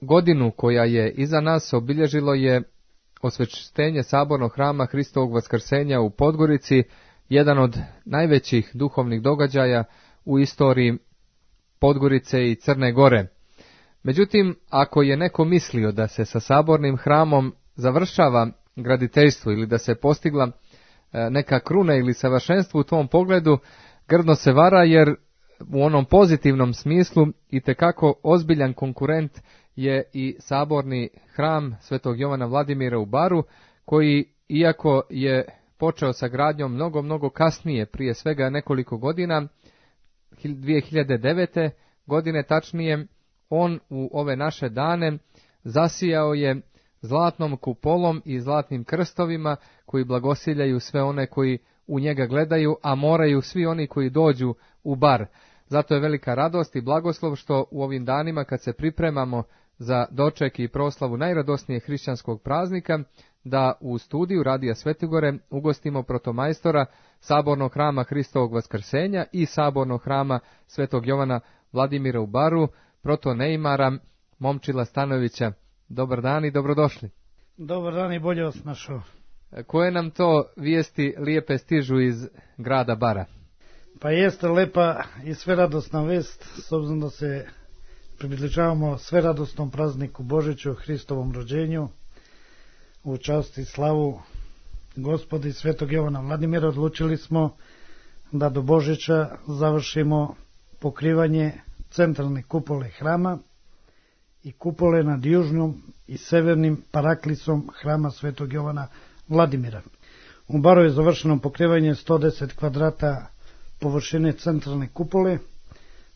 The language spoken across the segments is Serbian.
godinu koja je iza nas obilježilo je osveštenje sabornog hrama Hristovog vaskrsenja u Podgorici, jedan od najvećih duhovnih događaja u istoriji Podgorice i Crne Gore. Međutim, ako je neko mislio da se sa sabornim hramom završava graditeljstvo ili da se postigla neka kruna ili savršenstvo u tom pogledu, grdno se vara, jer u onom pozitivnom smislu itekako ozbiljan konkurent je i saborni hram Svetog Jovana Vladimira u Baru, koji, iako je počeo sa gradnjom mnogo kasnije, prije svega nekoliko godina, 2009. godine tačnije, on u ove naše dane zasijao je zlatnom kupolom i zlatnim krstovima koji blagosiljaju sve one koji u njega gledaju, a moraju svi oni koji dođu u Bar. Zato je velika radost i blagoslov što u ovim danima, kad se pripremamo za doček i proslavu najradosnijeg hrišćanskog praznika, da u studiju Radija Svetigore ugostimo protomajstora sabornog hrama Hristovog vaskrsenja i sabornog hrama Svetog Jovana Vladimira u Baru, protoneimara Momčila Stanojevića. Dobar dan i dobrodošli. Dobar dan i bolje vas našao. Koje nam to vijesti lijepe stižu iz grada Bara? Pa jeste lepa i sveradosna vest, s obzirom da se približavamo sveradosnom prazniku Božiću, Hristovom rođenju, u čast i slavu Gospoda i Svetog Jovana Vladimira. Odlučili smo da do Božića završimo pokrivanje centralne kupole hrama i kupole nad južnom i severnim paraklisom hrama Svetog Jovana Vladimira. U Baru je završeno pokrivanje 110 kvadrata površine centralne kupole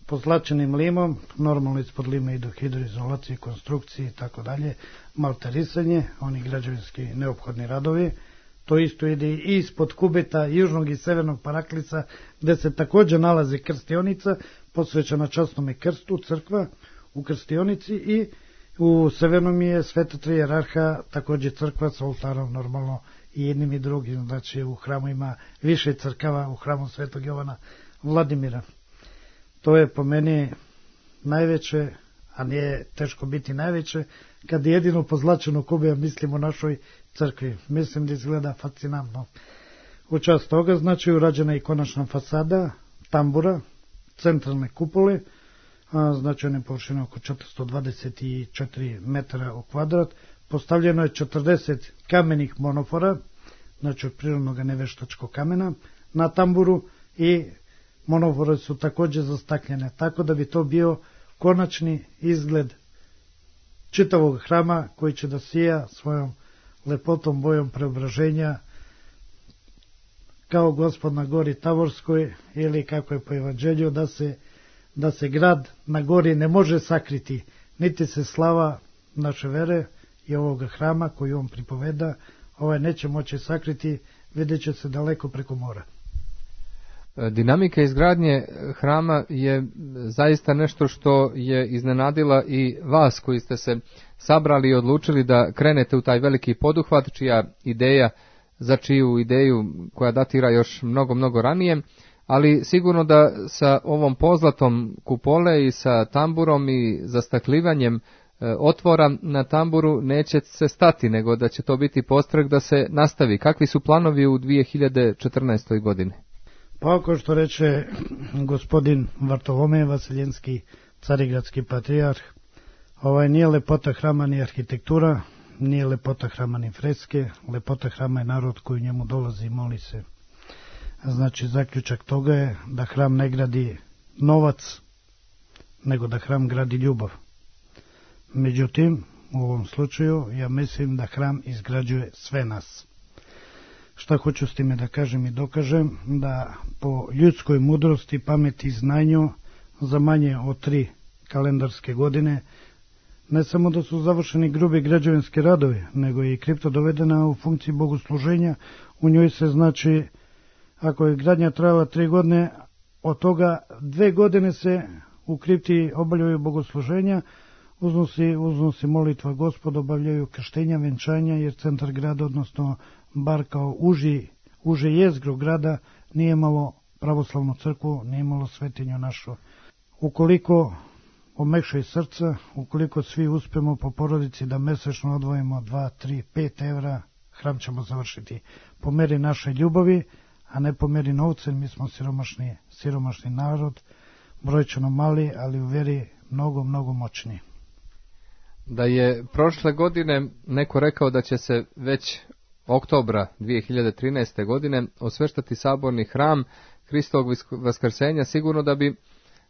pozlačenim limom, normalno ispod lima idu hidroizolacije, konstrukcije i tako dalje, malterisanje, oni građevinski neophodni radovi. To isto ide i ispod kubeta južnog i severnog paraklisa, gde se također nalazi krstionica posvećena časnome krstu, crkva u krstionici, i u severnom je Sveta Tri Jerarha, također crkva sa oltarom, normalno i jednim i drugim. Znači u hramu ima više crkava, u hramu Svetog Jovana Vladimira. To je po meni najveće, a nije teško biti najveće, kad jedino pozlačeno kube mislim o našoj crkvi. Mislim da izgleda fascinantno. U čast toga, znači, urađena je konačna fasada tambura centralne kupole, znači one površine oko 424 metara u kvadrat. Postavljeno je 40 kamenih monofora, znači od prirodnog neveštačkog kamena, na tamburu, i monofore su također zastakljene, tako da bi to bio konačni izgled čitavog hrama, koji će da sija svojom lepotom, bojom preobraženja kao Gospod na gori Tavorskoj, ili kako je po evanđelju, da se grad na gori ne može sakriti, niti se slava naše vere i ovoga hrama koji on pripoveda, neće moći sakriti, vidjet će se daleko preko mora. Dinamika izgradnje hrama je zaista nešto što je iznenadila i vas koji ste se sabrali i odlučili da krenete u taj veliki poduhvat, čiju ideju koja datira još mnogo ranije, ali sigurno da sa ovom pozlatom kupole i sa tamburom i zastaklivanjem otvora na tamburu neće se stati, nego da će to biti postrek da se nastavi. Kakvi su planovi u 2014. godini? Pa ako što reče gospodin Vartolomej Vasiljenski, carigradski patrijarh, nije lepota hrama ni arhitektura, nije lepota hrama ni freske, lepota hrama je narod koji njemu dolazi i moli se. Znači zaključak toga je da hram ne gradi novac, nego da hram gradi ljubav. Međutim, u ovom slučaju ja mislim da hram izgrađuje sve nas. Šta hoću s time da kažem i dokažem? Da po ljudskoj mudrosti, pameti i znanju za manje od 3 kalendarske godine ne samo da su završeni grubi građevinski radovi, nego je i kripta dovedena u funkciji bogosluženja. U njoj se, znači, ako je gradnja trajala 3 godine, od toga 2 godine se u kripti obavljaju bogosluženja, uznosi molitva Gospoda, obavljaju krštenja, venčanja, jer centar grada, odnosno Bar kao uže jezgro grada, nije imalo pravoslavnu crkvu, nije imalo svetinju našu. Ukoliko omekšaj srca, ukoliko svi uspemo po porodici da mesečno odvojimo 2, 3, 5 evra, hram ćemo završiti po meri naše ljubavi, a ne po meri novca, mi smo siromašni narod, brojčano mali, ali u veri mnogo, mnogo moćni. Da je prošle godine neko rekao da će se već oktobra 2013. godine osveštati saborni hram Hristovog vaskrsenja, sigurno da bi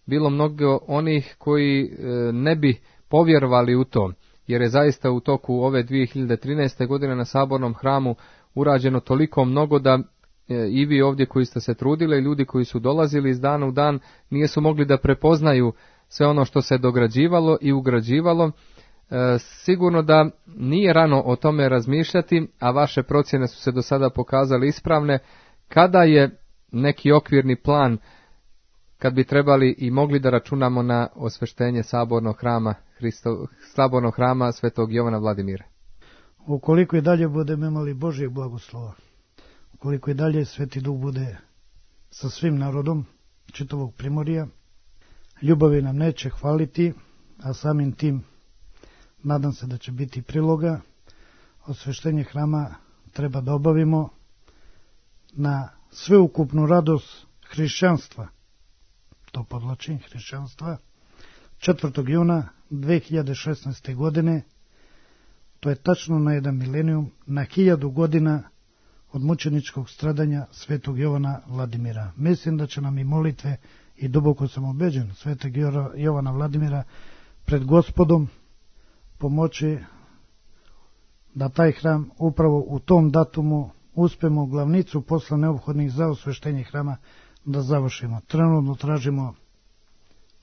bilo mnogo onih koji ne bi povjerovali u to, jer je zaista u toku ove 2013. godine na sabornom hramu urađeno toliko mnogo da i vi ovdje koji ste se trudili i ljudi koji su dolazili iz dana u dan nisu mogli da prepoznaju sve ono što se dograđivalo i ugrađivalo. Sigurno da nije rano o tome razmišljati, a vaše procjene su se do sada pokazale ispravne. Kada je neki okvirni plan, kad bi trebali i mogli da računamo na osveštenje sabornog hrama Svetog Jovana Vladimira? Ukoliko i dalje budemo imali Božjeg blagoslova, ukoliko i dalje Sveti Duh bude sa svim narodom čitavog Primorja, ljubavi nam neće hvaliti, a samim tim nadam se da će biti priloga. Osveštenje hrama treba da obavimo na sveukupnu radost hrišćanstva, to podlačim, hrišćanstva, 4. juna 2016. godine, to je tačno na 1 milenijum, na 1000 godina od mučeničkog stradanja Svetog Jovana Vladimira. Mislim da će nam i molitve, i duboko sam ubeđen, Svetog Jovana Vladimira pred Gospodom pomoći da taj hram upravo u tom datumu uspemo glavnicu posla neophodnih za osveštenje hrama da završimo. Trenutno tražimo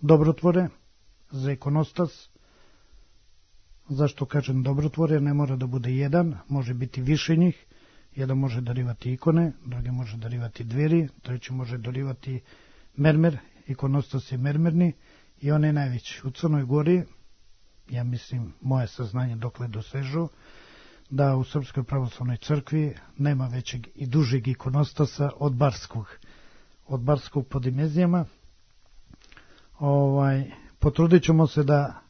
dobrotvore za ikonostas. Zašto kažem dobrotvore? Ne mora da bude jedan, može biti više njih. Jedan može darivati ikone, drugi može darivati dveri, treći može darivati mermer, ikonostas je mermerni i on je najveći. U Crnoj Gori, ja mislim, moje saznanje dokle dosežu, da u Srpskoj pravoslavnoj crkvi nema većeg i dužeg ikonostasa od Barskog po dimenzijama. Potrudit ćemo se da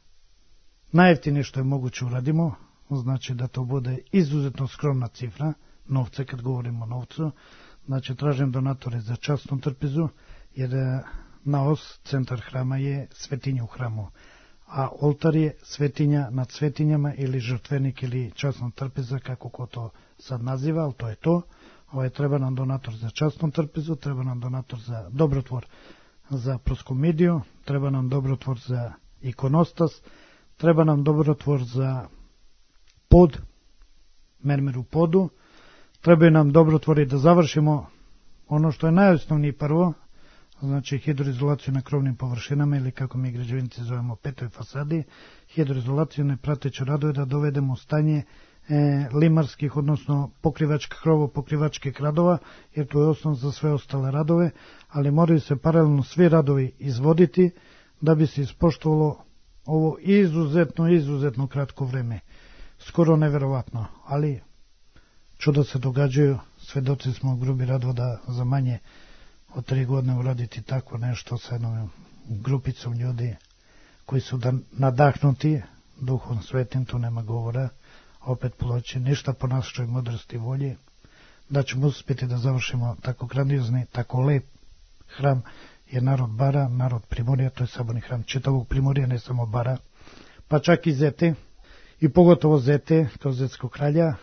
najjeftinije što je moguće uradimo, znači da to bude izuzetno skromna cifra, novce, kad govorimo o novcu, znači tražim donatore za časnu trpezu, jer naos, centar hrama je svetinja u hramu, a oltar je svetinja nad svetinjama ili žrtvenik ili časna trpeza, kako ko to sad naziva, ali to je to. Treba nam donator za časnu trpezu, treba nam donator za dobrotvor za proskomidiju, treba nam dobrotvor za ikonostas, treba nam dobrotvor za pod, mermer u podu, treba nam dobrotvori da završimo ono što je najosnovnije prvo, znači hidroizolaciju na krovnim površinama ili kako mi građevinci zovemo petoj fasadi, hidroizolaciju ne prateće radove da dovedemo u stanje limarskih, odnosno pokrivačkih radova, jer to je osnov za sve ostale radove, ali moraju se paralelno svi radovi izvoditi da bi se ispoštovalo ovo izuzetno kratko vreme. Skoro neverovatno, ali čuda se događaju, svedoci smo grubi radova da za manje od 3 godine uraditi tako nešto sa jednom grupicom ljudi koji su nadahnuti Duhom Svetim, tu nema govora, opet poloći ništa po našoj mudrosti i volji, da ćemo uspjeti da završimo tako grandiozni, tako lep hram, jer narod Bara, narod Primorja, to je saborni hram čitavog Primorja, ne samo Bara, pa čak i Zete, i pogotovo Zete, kao Zetskog kralja,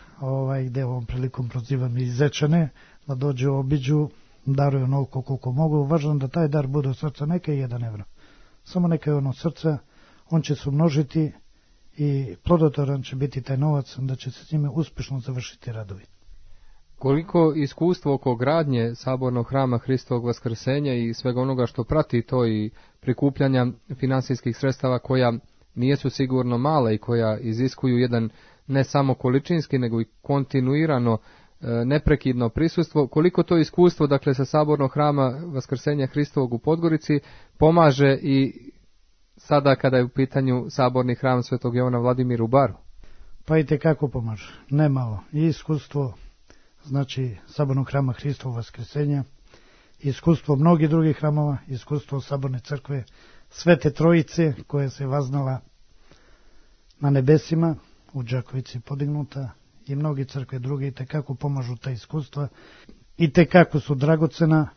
gde ovom prilikom prozivam i Zečane, da dođu, obiđu, daruju onoliko koliko mogu. Važno da taj dar bude od srca, neka je 1 evro. Samo neka je ono od srca, on će se umnožiti i plodotvoran će biti taj novac, da će se s njime uspješno završiti radovi. Koliko iskustvo oko gradnje sabornog hrama Hristovog vaskrsenja i svega onoga što prati to i prikupljanja finansijskih sredstava koja nisu sigurno mala i koja iziskuju jedan ne samo količinski nego i kontinuirano neprekidno prisustvo, koliko to iskustvo, dakle, sa sabornog hrama Vaskrsenja Hristovog u Podgorici pomaže i sada kada je u pitanju saborni hram Svetog Jovana Vladimira u Baru? Pa i tekako pomaže, ne malo. I iskustvo, znači, sabornog hrama Hristovog Vaskrsenja, iskustvo mnogih drugih hramova, iskustvo saborne crkve Svete Trojice koja se vaznala na nebesima, u Đakovici podignuta, i mnogi crkve druge i tekako pomažu ta iskustva i tekako su dragocena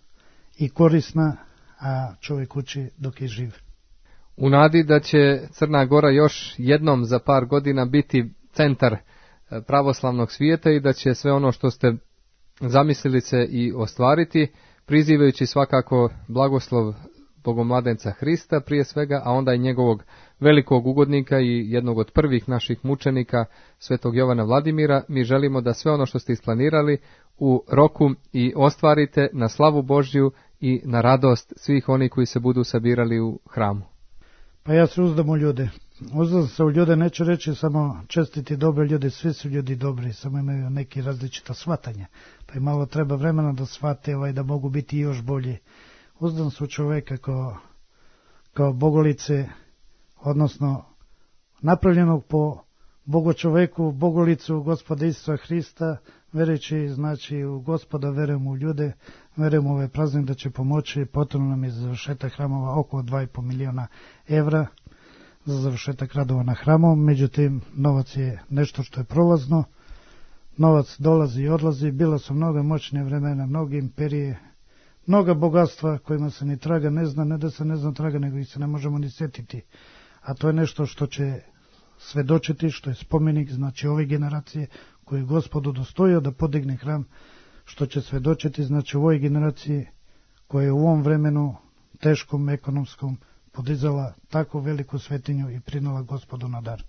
i korisna, a čovjek uči dok je živ. U nadi da će Crna Gora još jednom za par godina biti centar pravoslavnog svijeta i da će sve ono što ste zamislili se i ostvariti, prizivajući svakako blagoslov Bogomladenca Hrista prije svega, a onda i njegovog velikog ugodnika i jednog od prvih naših mučenika, svetog Jovana Vladimira, mi želimo da sve ono što ste isplanirali u roku i ostvarite na slavu Božju i na radost svih onih koji se budu sabirali u hramu. Pa ja se uzdam u ljude. Uzdam se u ljude, neću reći samo čestiti dobre ljude, svi su ljudi dobri, samo imaju neki različita shvatanja. Pa i malo treba vremena da shvate da mogu biti još bolji. Uzdam se u čoveka kao bogolice, odnosno napravljenog po bogočoveku, bogolicu Gospoda Isusa Hrista, verujući znači u Gospoda, verujem u ljude, verujem u ovaj praznik da će pomoći. Potrebno nam je za završetak hramova oko 2,5 miliona evra za završetak radova na hramom, međutim novac je nešto što je prolazno, novac dolazi i odlazi, bila su mnoga moćne vremena, mnoge imperije, mnoga bogatstva kojima se ni traga ne zna, ne da se ne zna traga, nego ih se ne možemo ni sjetiti, a to je nešto što će svedočiti, što je spomenik, znači ove generacije koje je Gospod udostojio da podigne hram, što će svedočiti, znači u ovoj generaciji koja je u ovom vremenu teškom ekonomskom podizala tako veliku svetinju i prinala Gospodu na dar.